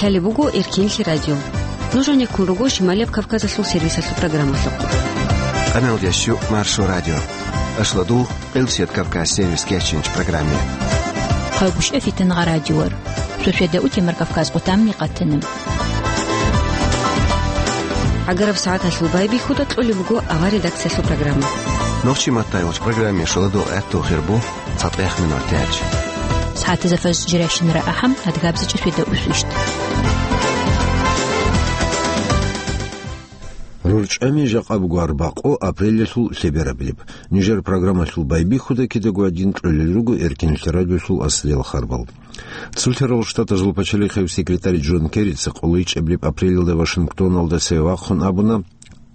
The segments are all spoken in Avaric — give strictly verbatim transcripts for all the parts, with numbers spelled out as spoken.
Гьале буго Эркинлъи радио. Нуж гьанеккун руго Шималияб Кавказалъул сервисалъул программалъухъ. Къамел ящу Маршо радио. Ашладул, Къилсият Кавказ сервис кечинч программе. Хъагушев Фитангъа радиор. Шошеда утемар Кавказ къутамни къатанаб. Агараб сагӀаталъул байбихьуда кьолеб буго авар редакциялъул программа. Нохчи маттайвач программе шаладул гӀатту хирбу. ЦатӀех минут тяч. СагӀатазда фаз жирайщинара ахӀам, адгабзичӀа фида усвищт. РурчӀами жакъа буго арбакъо апрелалъул лъеберабилеб. Нижер программалъул байбихьуда кидаго гьадин кьолел руго Эркинлъи радиолъул аслиял харбал. Цолъарал Штатазул пачалихъев секретарь Джон Керрица къолайчӀабилеб апрелалда Вашингтоналда цеве вахъун абуна,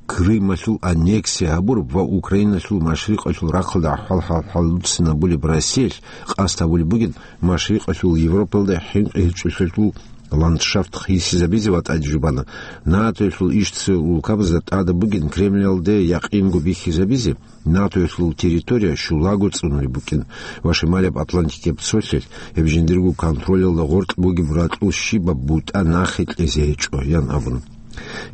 Крымалъул аннексия гьабураб ва Украиналъул машрикъалъул рахъалда ахӀвал-хӀал хӀалуцинабулеб Россиялъ къасд гьабулеб бугин машрикъалъул Европалда хӀинкъи-гьечӀолъиялъул ландшафт хисизабизе ва тӀаде жубана. НАТОялъул иш цеве улкабазда тӀадаб бугин Кремлалде якъинго бихьизабизе, НАТОялъул территория щулаго цӀунулеб букӀин ва Шималияб Атлантикияб цолъалъ гьеб жиндирго контролалда гъоркь бугеб ракьул щибаб бутӀа нахъе кьезе гьечӀо, ян абун.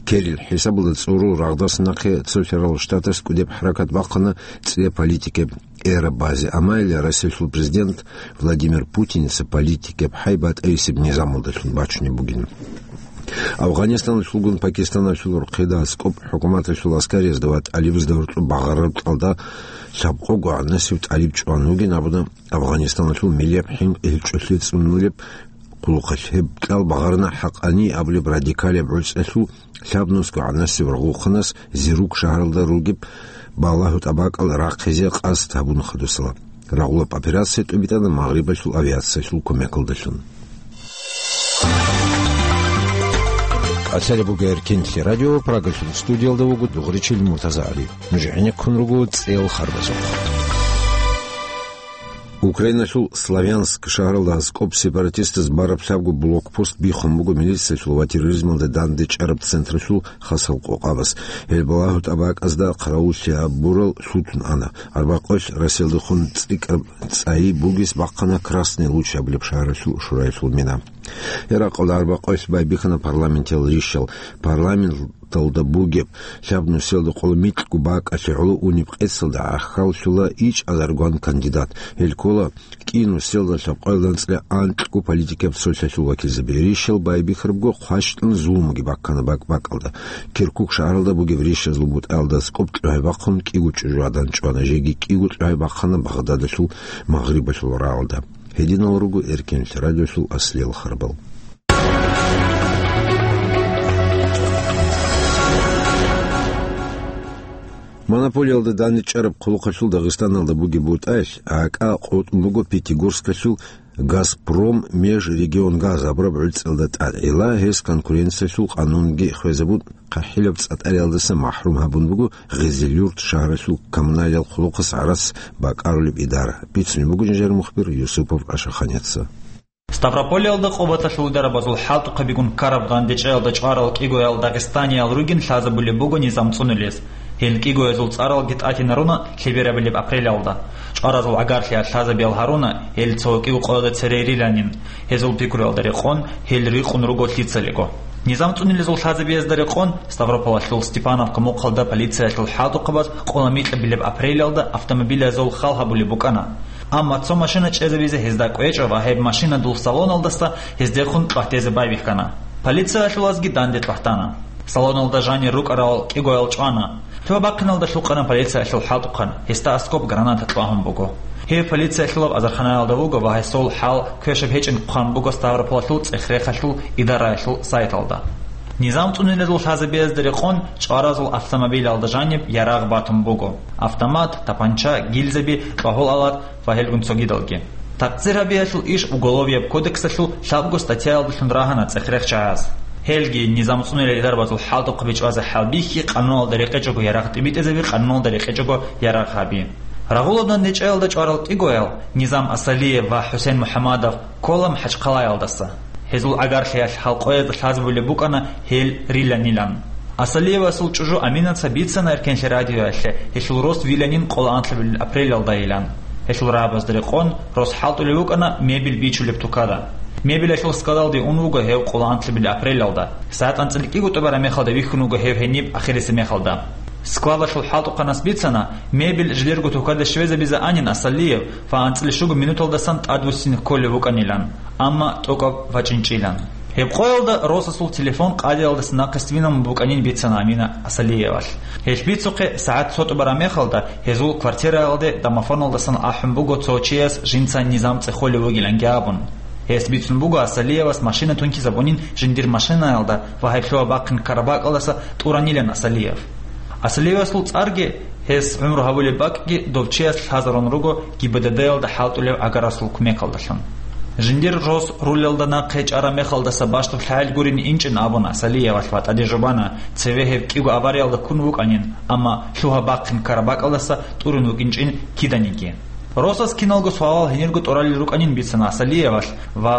Керрил хӀисабалда цӀорул рагъдас нахъе Цолъарал Штатас кӀудеб хӀаракат бахъана цӀе политикаб эра базе, амма гьеле Россиялъул президент Владимир Путиница политикаб хӀай батӀайисеб низамалдалъун бачунеб бугин. Афганистаналъулгун Пакистаналъул рохъеда аскӀоб хӀукуматалъул аскариязда ва тӀалибазда гьоркьоб багъараб кьалда лъабкъого гӀанасев тӀалиб чӀван вугин абуна Афганистаналъул миллияб хӀинкъи-гьечӀолъи цӀунулеб къулухъалъ. Гьеб кьал багъарна ХӀакъани абулеб радикалияб гӀуцӀалъул лъабнусго гӀанасев рагъулхъанас Зирук шагьаралда ругеб балагьу тӀабакӀал рахъизе къасд гьабун хадусала. Рагъулаб операция тӀубитӀана Магърибалъул авиациялъул кумекалдалъун. Къалъалеб буго Эркинлъи радио, Прагалъул студиялда вуго дугъричил Муртаза ГӀали. Нуж гӀенеккун руго цӀел харбазухъ. Украиналъул Славянск шагьаралда аскӀоб сепаратистаз бараб лъабго блокпост биххун буго милициялъул ва терроризмалда дандечӀараб централъул хасал къокъабаз. Гьел балагьу тӀабакӀазда хъаравуллъи гьабурал лъутун ана. Арбакъоялъ Россиялдехун цӀикӀкӀараб цӀайи бугес бахъана Красный Луч абулеб шагьаралъул шураялъул мина. Гьеб ракъалда арбакъоялъ байбихьана парламентиял ришал. Парламенталда бугеб лъабнусиялда къоло микьго бакӀалъе гӀоло унеб къецалда гӀахьаллъула ичӀазаргван кандидат. Гьел ккола кӀинусиялда лъабкъоялда анцӀила анкьго политикаб цолъалъул вакилзаби. Ришал байбихьарабго хъващтӀун зулмуги баккана бакӀ-бакӀалда. Киркук шагьаралда бугеб ришазул бутӀаялда аскӀоб кьогьай бахъун кӀиго чӀужугӀадан чӀвана, жеги кӀиго кьогьай бахъана Багъдадалъул Магърибалъул рагӀалда. Гьединал руго Эркинлъи радиолъул аслиял харбал. Монополиялда данде чӀараб хъулухъалъул Дагъистаналда бугеб бутӀаялъ акӀа къотӀун буго Пятигорскалъул «Газпром Межрегионгаз» абураб гӀуцӀиялда тӀад. Гьеле гьес конкуренциялъул къанунги хвезабун, хъахӀилаб цӀатӀариялдаса махӀрум гьабун буго Гъизилюрт шагьаралъул коммуналиял хъулухъас гӀарац бакӀарулеб идара. Бицунеб буго жинжер мухбир Юсупов Ашаханица. Ставрополиялда къубаталъул дарабазул хӀалтӀухъабигун ккараб дандечӀаялда чӀварал кӀигоял дагъистаниял ругин лъазабулеб буго низам цӀунулез. Гьел кӀигоязул цӀаралги тӀатинаруна лъеберабилеб апрелалда. ЧӀваразул гӀагарлъиялъ лъазабиял гьаруна гьел цо кӀиго къоялда церейриланин. Гьезул пикруялда рекъон гьел рикъун руго лъицалиго. Низам цӀунилезул лъазабиязда рекъон Ставрополалъул Степановка мухъалда полициялъул хӀалтӀухъабаз къола микьабилеб апрелалда автомобилазул хал гьабулеб букӀана. Амма цо машина чӀезабизе гьезда кӀвечӀо ва гьеб машинадул салоналдаса гьездехун тӀватезе байбихьана. Полициялъулазги данде тӀватана. Салоналда жанир рукӀарал кӀигоял чӀвана. Лъугьа-бахъиналда лъукъана полициялъул хӀалтӀухъан, гьесда аскӀоб граната кьвагьун буго. Гьев полициялъулав азарханаялда вуго ва гьесул хӀал квешаб гьечӀин хъван буго Ставрополалъул цӀех-рехалъул идараялъул сайталда. Низам цӀунилезул лъазабиязда рекъон чӀваразул автомобилялда жаниб ярагъ батун буго: автомат, тапанча, гильзаби, кьвагьул алат ва гьелгун цогидалги. Такъсир гьабиялъул иш Уголовияб кодексалъул лъабго статьяялдалъун рагьана цӀех-рех чагӀаз. Гьелги низам цӀунилел дарбазул хӀалтӀухъаби чӀвазе хӀалбихьи, къануналда рекъечӀого ярагъ тӀибитӀизаби, къануналда рекъечӀого ярагъ гьаби. Рагъулаб дандечӀаялда чӀварал кӀигоял Низам Асалиев ва ХӀусен МухӀамадов ккола МахӀачхъалаялдаса. Гьезул гӀагарлъиялъ халкъоязда лъазабулеб букӀана гьел риланилан. Асалиевасул чӀужу Аминаца бицана Эркенлъи радиоялъе гьелъул рос виланин къоло анлъабилеб апрелалдайилан. Гьелъул рагӀабазда рекъон рос хӀалтӀулеб букӀана мебель бичулеб тукада. Мебелалъул складалде ун вуго гьев къоло анлъабилеб апрелалда. СагӀат анцӀила кӀиго тӀубараб мехалда вихьун вуго гьев гьениб ахирисеб мехалда. Складалъул хӀалтӀухъанас бицана, мебель жилерго тукада щвезабизе анин Асалиев ва анцӀила щуго минуталдасан тӀадвуссине кколев вукӀанилан, амма тӀокӀаб вачӀинчӀилан. Гьеб къоялда Росасул телефон къадиялдаса нахъе свинан букӀанин бицана Амина Асалиевалъ. Гьелъ бицухъе сагӀат цо тӀубараб мехалда гьезул квартираялде домофоналдасан ахӀун буго цо чияс жинца низам цӀехолев вугиланги абун. Гьес бицун буго Асалиевас машина тункизабунин жиндир машинаялда ва гьеб лъугьа-бахъин ккараб бакӀалдаса тӀуранилан Асалиев. Асалиевасул цӀарги, гьес гӀумру гьабулеб бакӀги дов чияс лъазарун руго ГИБДД-ялда хӀалтӀулев гӀагарасул кумекалдалъун. Жиндир рос рулелда нахъе чӀараб мехалдаса бащдаб лъагӀел гурин инчӀин абун Асалиевалъ ва тӀаде жубана, цеве гьев кӀиго авариялда ккун вукӀанин, амма лъугьа-бахъин ккараб бакӀалдаса тӀурун вукӀинчӀин киданиги. Росас киналго суалал гьенирго тӀуралел рукӀанин бицана Асалиевалъ ва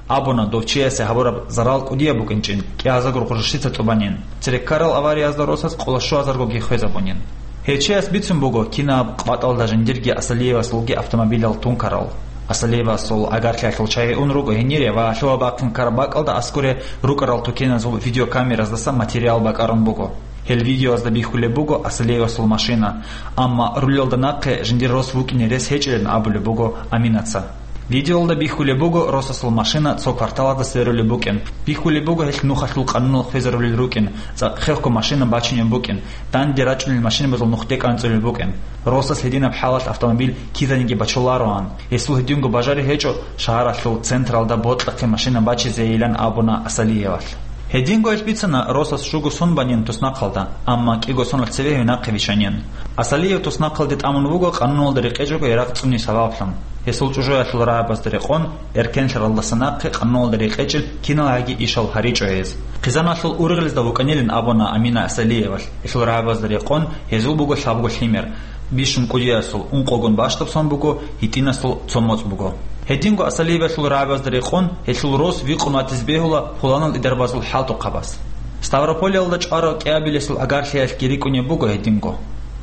абуна, дов чиясе гьабураб зарал кӀудияб букӀинчӀин, кӀиазарго гъурущица тӀубанин. Цере ккарал авариязда Росас къоло щуазаргоги хвезабунин. Гьев чияс бицун буго, кинаб къватӀалда жиндирги Асалиевасулги автомобилал тункарал. Асалиевасул гӀагарлъиялъул чагьи ун руго гьенире ва лъугьа-бахъин ккараб бакӀалда аскӀоре рукӀарал тукеназул видеокамераздаса материал бакӀарун буго. Гьел видеоязда бихьулеб буго Асалиевасул машина, амма рулелда нахъе жиндир рос вукӀине рес гьечӀилан абулеб буго Аминаца. Видеоялда бихьулеб буго росасул машина цо кварталалда сверулеб букӀин. Бихьулеб буго гьелъ нухалъул къануналъ хвезарулел рукӀин, цӀакъ хехго машина бачинеб букӀин, данде рачӀунел машинабазул нухде кӀанцӀулел букӀин. Росас гьединаб хӀалалъ автомобиль кизаниги бачулароан. Гьесул гьединго бажари гьечӀо шагьаралъул централда бокьахъе машина бачизейилан абуна Асалиевалъ. Гьединго гьелъ бицана росас щуго сон банин туснахъалда, амма кӀиго соналъ цеве гьев нахъе виччанин. Асалиев туснахъалде тӀамун вуго къануналда рекъечӀого ярагъ цӀуни сабаблъун. Гьесул чӀужуялъул рагӀабазда рекъон, эркенлъаралдаса нахъе къануналда рекъечӀел киналгӀаги ишал гьаричӀо гьез. Хъизаналъул ургъелазда вукӀанилин абуна Амина Асалиевалъ, гьелъул рагӀабазда рекъон, гьезул буго лъабго лъимер. Бищун кӀудиясул ункъогун бащдаб сон буго, гьитӀинасул цо моцӀ буго. Гьединго Асалиевалъул рагӀабазда рекъон, гьелъул рос вихъун ватизе бегьула пуланал идарабазул хӀалтӀухъабаз. Ставрополиялда чӀварав кӀиабилесул гӀагарлъиялъги рикӀкӀунеб буго гьединго.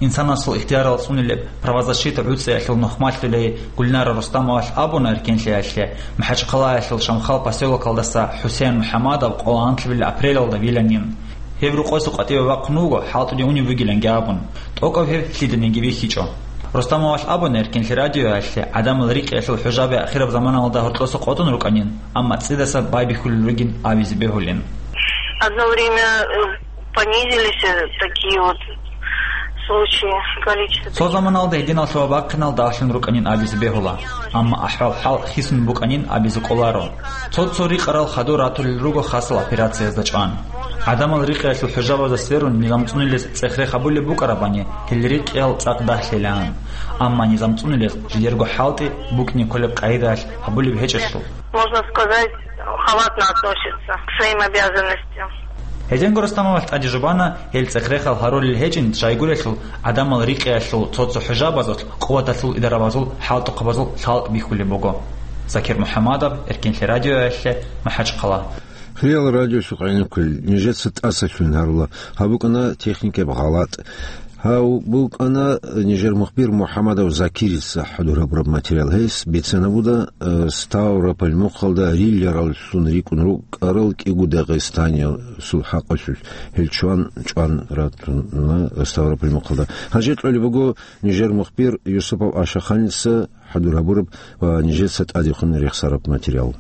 Инсанасул ихтиярал цӀунилеб правозащита гӀуцӀиялъул нухмалъулей Гульнара Рустамовалъ абуна эркенлъиялъе, МахӀачхъалаялъул Шамхал поселокалдаса ХӀусен МухӀамадов къоло анлъабилеб апрелалда виланин. Гьев рукъоса къватӀиве вахъун вуго, хӀалтӀуде унев вугиланги абун. ТӀокӀаб гьев лъиданиги вихьичӀо. Рустамовалъ абуна эркенлъи радиоялъе, гӀадамал рикьиялъул хӀужаби ахираб заманалда гьоркьоса къотӀун рукӀанин, амма цӀидаса байбихьулел ругин абизе бегьулин. Одно время, э, понизились, э, такие вот случаи, количество. Цо заманалда гьединал лъугьа-бахъинал дагьлъун рукӀанин абизе бегьула, амма ахӀвал-хӀал хисун букӀанин абизе кӀоларо. Цо-цо рикъарал хадур ратулел руго хасал операциязда чӀван. ГӀадамал рикьиялъул хӀужабазда сверун низам цӀунилез цӀех-рех гьабулеб букӀарабани, гьел рикьиял цӀакъ дагьлъилаан. Амма низам цӀунилез жидерго хӀалтӀи букӀине кколеб къагӀидаялъ гьабулеб гьечӀелъул. Можно сказать, халатно относится к своим обязанностям. Гьединго Рустамовалъ тӀаде жубана, гьел цӀех-рехал гьарулел гьечӀин щайгурелъул, гӀадамал рикьиялъул цо-цо хӀужабазулъ, къуваталъул идарабазул, хӀалтӀухъабазул лъалкӀ бихьулеб буго. Закир МухӀамадов, Эркенлъи радиоялъе, МахӀачхъала. Хириял радиолъухъ гӀенеккулел, нижеца тӀасалъугьин гьарула, гьаб букӀана техникияб гъалатӀ. Гьав букӀана нижер мухбир МухӀамадов Закирица хӀадур гьабураб материал. Гьес бицана буда, э, Ставрополь мухъалда рилараллъун рикӀкӀун рукӀарал кӀиго дагъистаниясул хӀакъалъулъ, гьел чван-чӀван ратуна Ставрополь мухъалда. Гьанже кьолеб буго нижер мухбир Юсупов Ашаханица хӀадур гьабураб ва нижеца тӀадехун рехсараб материал.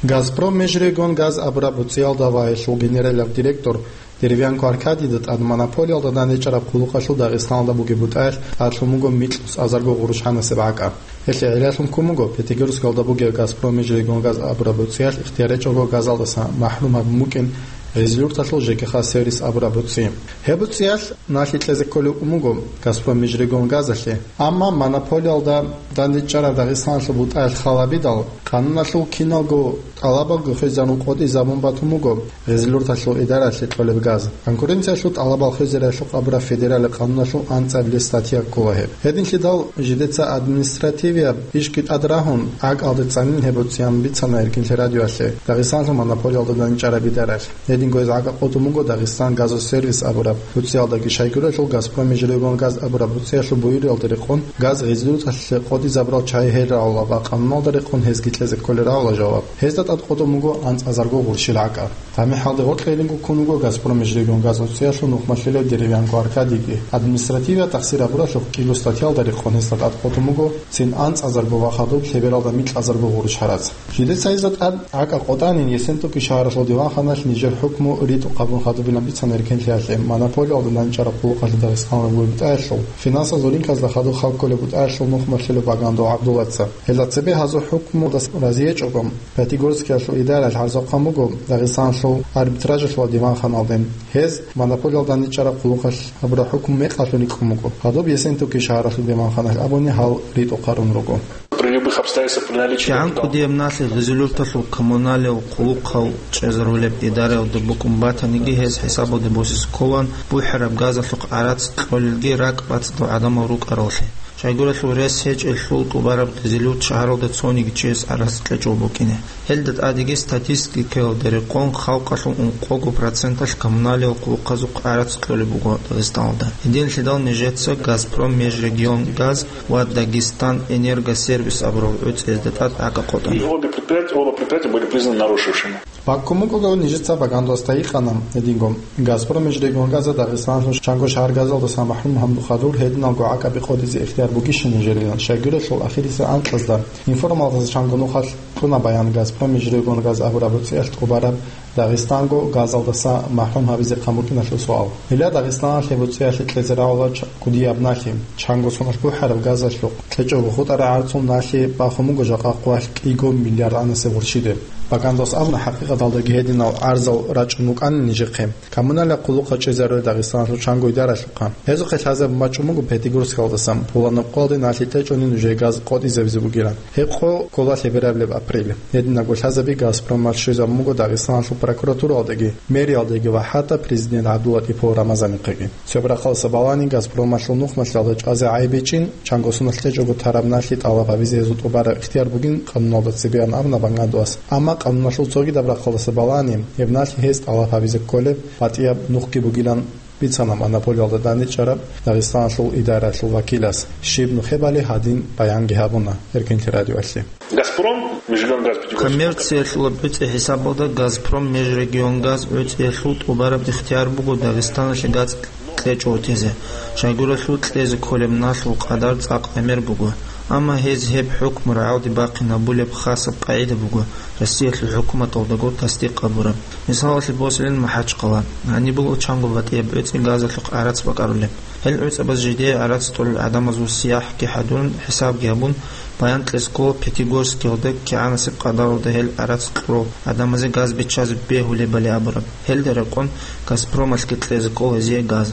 «Газпром Межрегионгаз» абураб буцӀиялда ва гьелъул генералаб директор Деревянко Аркадийда тӀад монополиялда данде чӀараб хъулухъалъул Дагъистаналда бугеб бутӀаялъ тӀадлъун буго микьусазарго гъурущанасеб гӀакӀа. Гьелъие гӀиллалъун ккун буго Пятигорскалда бугеб «Газпром Межрегионгаз» абураб буцӀиялъ ихтияр гьечӀого газалдаса махӀрум гьабун букӀин Гъизлюрталъул ЖКХ сервис абураб буцӀи. Гьеб буцӀиялъ налъи кьезе кколев ун буго «Газпром Межрегионгазалъе». Амма монополиялда данде чӀараб Дагъистаналъул бутӀаялъ хал гьабидал, къануналъул киналго тӀалабалги хвезарун къотӀизабун батун буго Гъизлюрталъул идараялъе кьолеб газ. Конкуренциялъул тӀалабал хвезариялъухъ абураб федералияб къануналъул анцӀабилеб статья ккола гьеб. Гьединлъидал жидеца административияб ишги тӀад рагьун, гӀакӀалде цӀанин гьеб буцӀиян бицана Эркенлъи радиоялъе Дагъистаналъул монополиялда данде чӀараб идараялъ. Гьединго гьез гӀакӀа къотӀун буго Дагъистан газосервис абураб буцӀиялдаги, щайгурелъул «Газпром Межрегионгаз» абураб буцӀиялъул буюриялда рекъон газ Гъизлюрталъе къотӀизабурал чагьи гьел рагӀула ва къануналда рекъон гьезги Гьезда кколел равла жаваб. Гьезда тӀад къотӀун буго анцӀазарго гъурщил гӀакӀа. Гьаниб гьалде гъоркье гьединго ккун вуго «Газпром межрегионгаз» оцеялъул нухмалъулев Деревянко Аркадийги. Административияб тахсир гьабуралъухъ кӀиго статьялда рекъон гьесда тӀад къотӀун буго цин анцӀазарго ва хадуб лъебералда микьазарго гъурущ гьарац. Жидеца гьезда тӀад гӀакӀа къотӀанин, Ессентуки шагьаралъул диванханалъ нижер хӀукму ритӀухъ гьабун хадубилан бицана эркенлъиялъе монополиялда данчӀараб къулухъалъе Дагъистаналъул бутӀаялъул, финансазул ринкалда хадуб халкколеб бутӀаялъул нухмалъулев Багандов ГӀабдуллаца. Гьелда цебе гьазул хӀукмуялда разиячӀого, Пятигорскиялъул идараялъ гӀарзухъан буго Дагъистаналъул арбитражалъул диванханалде. Гьез монополиялда данчӀараб къулухъалъ гьабураб хӀукму мекъалъун рикӀкӀун буго. Гьадуб Ессентуки шагьаралъул диванханалъ абуни гьал ритӀухъ гьарун руго. При любых обстоятельствах, при наличии... КигӀан кӀудияб налъи гъизулъулталъул коммуналияб къулухъал чӀезарулеб идараялда букӀун батаниги, гьез хӀисабалде босизе кколаан бухӀараб газалъухъ гӀарац кьолелги ракӀ бацӀцӀадал гӀадамал рукӀараллъи. Щайгурелъул рес гьечӀелъул тӀубараб гъизулъулт шагьаралда цониги чияс гӀарац кьечӀого букӀине. Гьелда тӀадеги статистикаялда рекъон халкъалъул ункъого проценталъ коммуналияб къулухъазухъ гӀарац кьолеб буго Дагъистаналда. Гьединлъидал нижеца «Газпром межрегионгаз» ва «Дагестан энергосервис» абурал гӀуцӀиязда тӀад гӀакӀа къотӀана. И обе предприятия, оба предприятия были признаны нарушившими. Баккун бугого нижеца Багандовасда гьикъана гьединго: «Газпром межрегионгазда Дагъистаналъул чанго шагьар газалдаса махӀрум гьабун хадур, гьединалго гӀакӀаби къотӀизе ихтияр бугищ нижерилан?» Щайгурелъул ахирисеб анкьазда информалдаса чанго нухалъ кьуна баян «Газпром межрегионгаз» абураб гӀуцӀиялъ тӀубараб Дагъистанго газалдаса махӀрум гьабизе хъан букӀиналъул суал. Гьеле Дагъистаналъ гьеб гӀуцӀиялъе кьезе равла ч-, кӀудияб налъи. Чанго соналъ бухӀараб газалъухъ кьечӀого хутӀараб гӀарцул налъи бахун буго жакъа къоялъ кӀиго миллиард анасеб гъурщиде. Багандовас абуна, хӀакъикъаталдаги гьединал гӀарзал рачӀун букӀанин нижехъе. Коммуналияб къулухъал чӀезарулел Дагъистаналъул чанго идаралъухъа. Гьезухъе лъазабун бачӀун буго Пятигорскалдасан, пуланаб къоялде налъи кьечӀони нужее газ къотӀизабизе бугилан. Гьеб къо ккола лъеберабилеб апрель. Гьединабго лъазаби «Газпромалъ» щвезабун буго Дагъистаналъул прокуратуралдаги, мэриялдаги ва хӀатта президент ГӀабдуллатӀипов Рамазанихъеги. Цебе рахъалдаса балани, «Газпромалъул» нухмалъулда чӀвазе гӀайиб гьечӀин, чанго соналъ кьечӀого тараб налъи тӀалаб гьабизе гьезул тӀубараб ихтияр бугин къануналда цебеян абуна Багандовас. Амма къануналъул цогидаб рахъалдаса балани, гьеб налъи гьез тӀалаб гьабизе кколеб батӀияб нухги бугилан бицана монополиялда данчӀараб Дагъистаналъул идараялъул вакилас. Щиб нухебали гьадин баянги гьабуна Эркенлъи радиоялъе. «Газпром межрегионгаз» Пятигорск. Коммерциялъул гӀуцӀи хӀисабалда «Газпром межрегионгаз» гӀуцӀиялъул тӀубараб ихтияр буго Дагъистаналъе газ кьечӀого тезе. Щайгурелъул кьезе кколеб налъул къадар цӀакъ гӀемер буго. Амма гьез гьеб хӀукму рагӀалде бахъинабулеб хасаб къагӀида буго, Россиялъул хӀукуматалдаго тасдикъ гьабураб. Мисалалъе босилин МахӀачхъала. Гьаниб буго чанго батӀияб гӀуцӀи газалъухъ гӀарац бакӀарулеб. Гьел гӀуцӀабаз жидее гӀарац кьолел гӀадамазул сияхӀги хӀадурун, хӀисабги гьабун, баян кьезе ккола Пятигорскиялда кигӀанасеб къадаралда гьел гӀарац кьурал гӀадамазе газ биччазе бегьулебали абураб. Гьелда рекъон «Газпромалъги» кьезе ккола гьезие газ.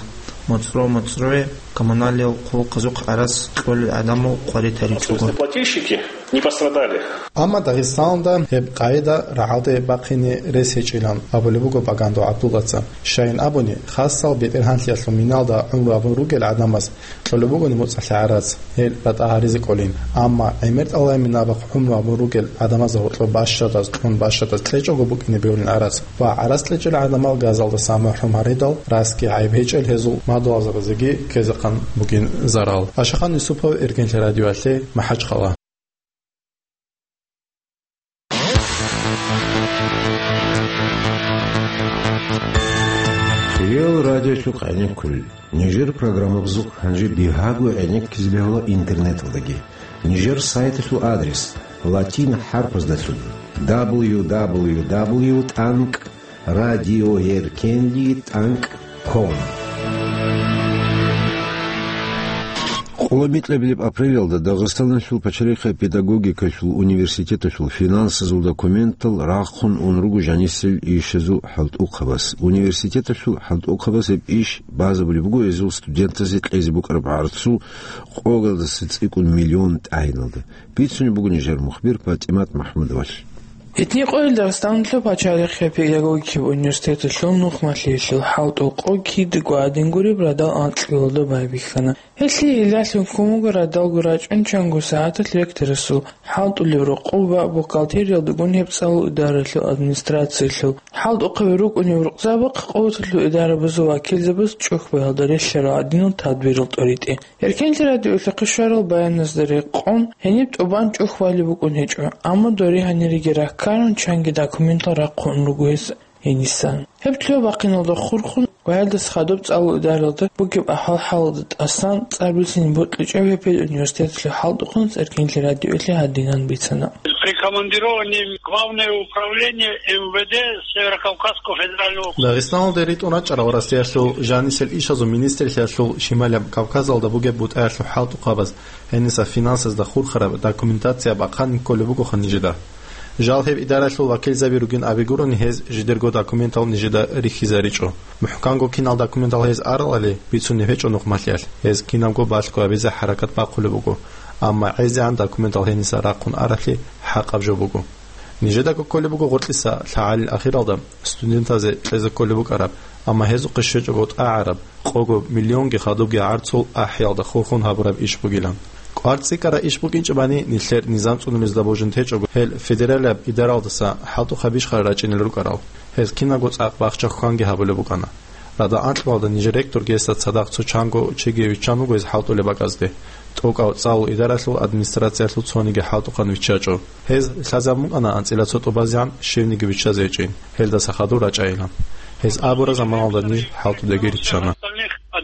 МоцӀро-моцӀрое коммуналияб къулухъазухъ гӀарац кьолел гӀадамал къваритаричӀого. Платильщики не пострадали. Амма Дагъистаналда гьеб къагӀида рагӀалде бахъине рес гьечӀилан абулеб буго Багандов ГӀабдуллаца. Щайин абуни, хасал бетӀергьанлъиялъул миналда гӀумру гьабун ругел гӀадамаз кьолеб бугони моцӀалъе гӀарац, гьел ратӀа гьаризе кӀолин. Амма гӀемер тӀалаб минабахъ гӀумру гьабун ругел гӀадамазда гьоркьоб бащадаз, кьун бащадаз кьечӀого букӀине бегьулин гӀарац. Ва гӀарац кьечӀел гӀадамал газалдаса махӀрум гьаридал, расги гӀайиб гьечӀел гьезул мадугьалзабазеги ккезехъан бугин зарал. Ашахан Юсупов, Эркенлъи радиоялъе, МахӀачхъала. Хиял радиолъухъ гӀенеккулел. Нижер программабазухъ гьанже бигьаго гӀенеккизе бегьула интернеталдаги. Нижер сайталъул адрес: латин хӀарпаздалъун: дабл ю дабл ю дабл ю тӀанкӀ радиоеркенлъи тӀанкӀ ком. Къоло микьабилеб апрелалда Дагъистаналъул пачалихъе педагогикалъул университеталъул финансазул документал рахъун ун руго жанисел ишазул хӀалтӀухъабаз. Университеталъул хӀалтӀухъабаз гьеб иш базабулеб буго гьезул студентазе кьезе букӀараб гӀарцул къоялдаса цӀикӀкӀун миллион тӀагӀиналда. Бицунеб буго нижер мухбир ПатӀимат МахӀмудовалъ. Гьитни къоялъ Дагъистаналъул пачалихъ педагогикаб университеталъул нухмалъиялъул хӀалтӀул къо кидаго гӀадин гуреб радал анкьабилалда байбихьана. Гьелъие илагьун ккун буго радалго рачӀун чанго сагӀаталъ ректорасул хӀалтӀулеб рокъоб ва бухгалтериялдагун гьеб цӀалул идаралъул администрациялъул хӀалтӀухъаби рукӀунеб рукъзабахъ къуваталъул идарабазул вакилзабаз чӀухӀбаялда релълъарал гӀадинал тадбирал тӀоритӀе. Эркенлъи радиоялъухъе щварал баяназда рекъон, гьениб тӀубан чӀухӀбали букӀун гьечӀо, амма дори гьаниреги раккарун чанги документал рахъун руго гьес гьенисан. Гьеб лъугьа-бахъиналда хурхун ва гьелдаса хадуб цӀалул идаралда бугеб ахӀвал-хӀалалда тӀасан цӀар бицин бокьичӀеб гьеб педуниверситеталъул хӀалтӀухъанас Эркенлъи радиоялъе гьадинан бицана. Прикомандированный в Главное управление М В Д Северо-Кавказского федерального округа. Дагъистаналде ритӀун рачӀарал Россиялъул жанисел ишазул министрлъиялъул Шималияб Кавказалда бугеб бутӀаялъул хӀалтӀухъабаз гьениса финансазда хурхараб документация бахъанин кколеб бугоха нижеда. Жал гьеб идаралъул вакилзаби ругин абигурони, гьез жидерго документал нижеда рихьизаричӀо. МухӀканго кинал документал гьез аралали бицунеб гьечӀо нухмалъиялъ, гьез кинабго балъго гьабизе хӀаракат бахъулеб буго, амма гӀезегӀан документал гьениса рахъун аралъи хӀакъаб жо буго. Нижедаго кколеб буго гъоркьиса лъагӀалил ахиралда студентазе кьезе кколеб букӀараб, амма гьезухъе щвечӀого тӀагӀараб, къого миллионги хадубги гӀарцул ахӀиялда хурхун гьабураб иш бугилан. КӀвар цӀикӀкӀараб иш букӀинчӀебани, нилъер низам цӀунулезда божун течӀого, гьел федералияб идаралдаса хӀалтӀухъаб бищха рачӀинел рукӀарал, гьез кинабго цӀакъ бахча-хьванги гьабулеб букӀана. Радал анкьабилалда нижер ректорги гьесда цадахъ цо чанго чиги виччан вуго гьез хӀалтӀулеб бакӀазде. ТӀокӀав цӀалул идаралъул администрациялъул цониги хӀалтӀухъан виччачӀо. Гьез лъазабун букӀана анцӀила цо тӀубазегӀан щивниги виччазе гьечӀин, гьелдаса хадур рачӀайилан. Гьез абураб заманалда ниж хӀалтӀудеги риччана.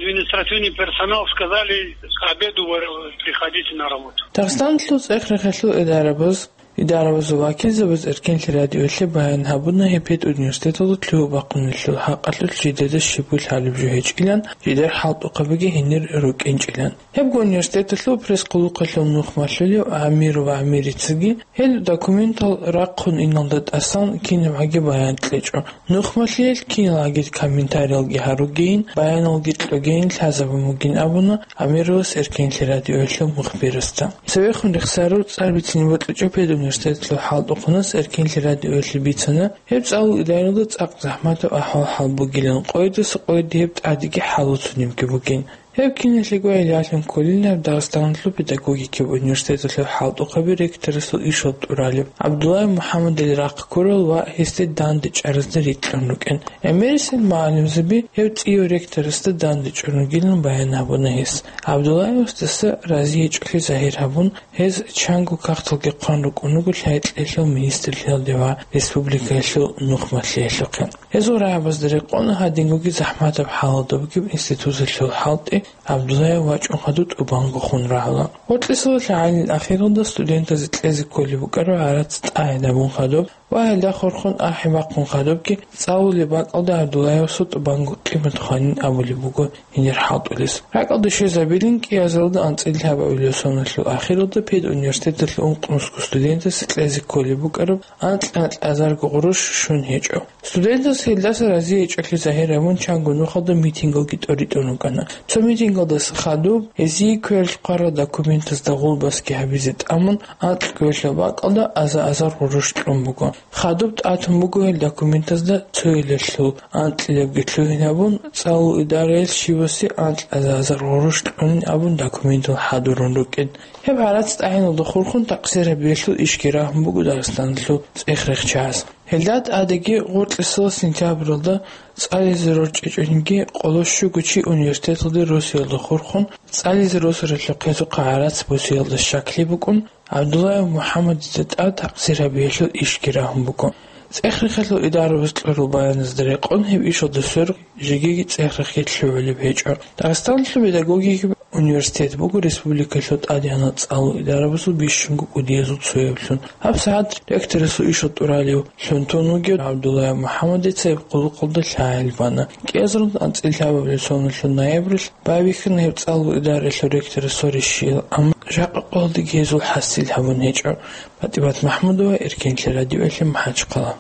Административный персонал сказали: «К обеду вы приходите на работу». Дагъистаналъул цӀех-рехелъул идарабаз, идарабазул вакилзабаз Эркенлъи радиоялъе баян гьабуна гьеб педуниверситеталда лъугьа-бахъиналъул хӀакъалъулъ жидеда щибго лъалеб жо гьечӀилан, жидер хӀалтӀухъабиги гьенир рукӀинчӀилан. Гьебго университеталъул пресс-къулухъалъул нухмалъулев Амирова Амирицаги гьел документал рахъун иналда тӀасан кинабгӀаги баян кьечӀо. Нухмалъиялъ киналгӀаги комментариялги гьаругейин, баяналги кьогейин лъазабун бугин абуна Амировас Эркенлъи радиоялъул мухбирасда. Цевехун рехсарав цӀар бицин бокьичӀеб педуниверситеталъул хӀалтӀухъанас Эркенлъи радиоялъе бицана, гьеб цӀалул идаралда цӀакъ захӀматаб ахӀвал-хӀал бугилан, къойидаса къойиде гьеб тӀадеги хӀалуцунебги бугин. Гьеб киналъего гӀелалъун кколилан Дагъистаналъул педагогикаб университеталъул хӀалтӀухъаби ректорасул ишал тӀуралеб ГӀабдуллаев МухӀаммадил рахъ ккурал ва гьесде дандечӀаразда рикьун рукӀин. ГӀемерисел мугӀалимзаби гьев цӀияв ректорасда дандечӀун ругилан баян гьабуна гьес. ГӀабдуллаевасдаса разиячӀолъи загьир гьабун, гьез чанго кагъталги хъван рукӀун руго лъай-кьеялъул министрлъиялде ва республикаялъул нухмалъиялъухъе. Гьезул рагӀабазда рекъон гьадингоги захӀматаб хӀалалда бугеб институталъул хӀалтӀи ГӀабдуллаев вачӀун хадуб тӀубанго хун рагӀула. Гъоркьисала лъагӀалил ахиралда студентазе кьезе кколеб букӀараб гӀарац тӀагӀинабун хадуб ва гьелда хурхун ахӀи бахъун хадубги цӀалулеб бакӀалда ГӀабдуллаевасул тӀубанго къимат хванин абулеб буго гьенир хӀалтӀулес. РакӀалде щвезабилин кӀиазаралда анцӀила лъабабилеб соналъул ахиралда педуниверситеталъул ункънусго студентазе кьезе кколеб букӀараб анкь-анкьазарго гъурущ щун гьечӀо. Студентаз гьелдаса разиячӀолъи загьир гьабун чанго нухалда митингалги тӀоритӀун рукӀана. Цо митингалдаса хадуб гьезие квералъ хъварал документазда гъулбасги гьабизе тӀамун, анкь квералъул бакӀалда аза-азар гъурущ кьун буго. Хадуб тӀатун буго гьел документазда цойилалъул анкьилабги лъугьин гьабун, цӀалул идараялъ щивасе анкь аза-азар гъурущ кьунин абун документал хӀадурун рукӀин. Гьеб гӀарац тӀагӀиналда хурхун такъсир гьабиялъул ишги рагьун буго Дагъистаналъул цӀех-рехчияз. Гьелда тӀадеги гъоркьисала сентябралда цӀализе рорчӀичӀониги къоло щуго чи университеталде росиялда хурхун цӀализе росаралъухъ гьезухъа гӀарац босиялда щаклъи букӀун, ГӀабдуллаев МухӀаммадида тӀад такъсир гьабиялъул ишги рагьун буго. ЦӀех-рехалъул идарабаз кьурал баяназда рекъон гьеб ишалда сверухъ жеги цӀех-рехги лъугӀулеб гьечӀо. Дагъистаналъул педагогикаб университет буго республикалъул тӀадегӀанал цӀалул идарабазул бищунго кӀудиязул цояблъун. ГьабсагӀат ректорасул ишал тӀуралевлъун тун вугев ГӀабдуллаев МухӀаммадица гьеб къуллукъалда лъагӀел бана. КӀиазарун анцӀила лъабабилеб соналъул ноябралъ байбихьана гьеб цӀалул идаралъул ректорасул решиял, амма жакъа къоялдеги гьезул хӀасил гьабун гьечӀо. ПатӀимат МахӀмудова, Эркенлъи радиоялъе, МахӀачхъала.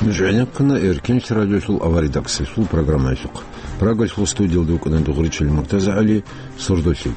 Нуж гӀенеккана Эркенлъи радиоялъул аваридаксалъул программаялъухъ. Прагалъул студиялда вукӀана Дугъричил МуртазагӀали, сордолъи.